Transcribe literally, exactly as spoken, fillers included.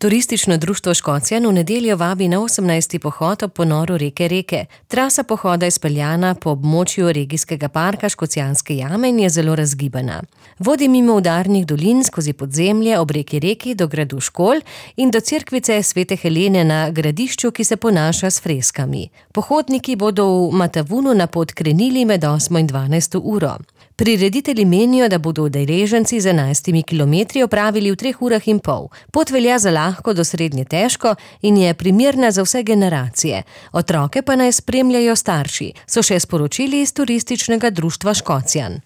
Turistično društvo Škocjan v nedeljo vabi na osemnajsti pohod ob ponoru reke Reke. Trasa pohoda je speljana po območju regijskega parka Škocjanske jame in je zelo razgibana. Vodi mimo udarnih dolin skozi podzemlje ob reki Reki do gradu Škol in do cerkvice Svete Helene na Gradišču, ki se ponaša s freskami. Pohodniki bodo v Matavunu na pot krenili med osmo in dvanajsto uro. Prireditelji menijo, da bodo udeleženci z enajstimi kilometri opravili v treh urah in pol. Pot velja za lahko do srednje težko in je primerna za vse generacije. Otroke pa naj spremljajo starši, so še sporočili iz Turističnega društva Škocjan.